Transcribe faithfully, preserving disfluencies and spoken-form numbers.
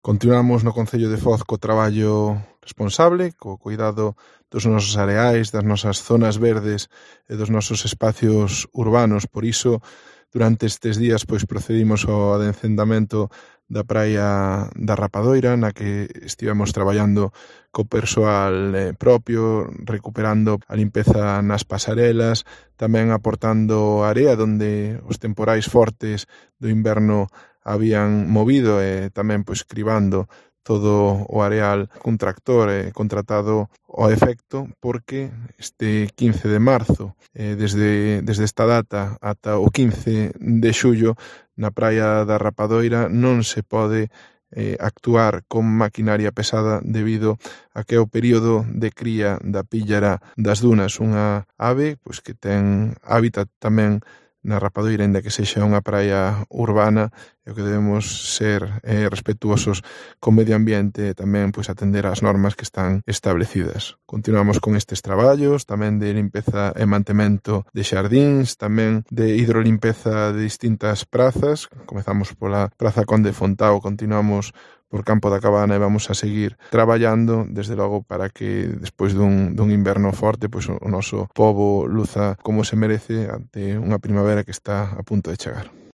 Continuamos no Concello de Foz co traballo responsable, co cuidado dos nosos areais, das nosas zonas verdes e dos nosos espacios urbanos. Por iso, durante estes días, pois procedimos ao adencendamento da praia da Rapadoira, na que estivemos traballando co persoal eh, propio, recuperando a limpeza nas pasarelas, tamén aportando area onde os temporais fortes do inverno habían movido e tamén pois cribando todo o areal cun tractor eh, contratado ao efecto, porque este quince de marzo, eh, desde, desde esta data ata o quince de xullo, na praia da Rapadoira non se pode eh, actuar con maquinaria pesada debido a que é o período de cría da píllara das dunas, unha ave pois que ten hábitat tamén na Rapadoira, ainda que sexa unha praia urbana, e o que debemos ser eh, respetuosos co medio ambiente e tamén pois, atender ás normas que están establecidas. Continuamos con estes traballos, tamén de limpeza e mantemento de xardíns, tamén de hidrolimpeza de distintas prazas. Comezamos pola Praza Conde Fontao, continuamos por Campo da Cabana e vamos a seguir traballando, desde logo, para que despois dun, dun inverno forte, pois o, o noso pobo luza como se merece ante unha primavera que está a punto de chegar.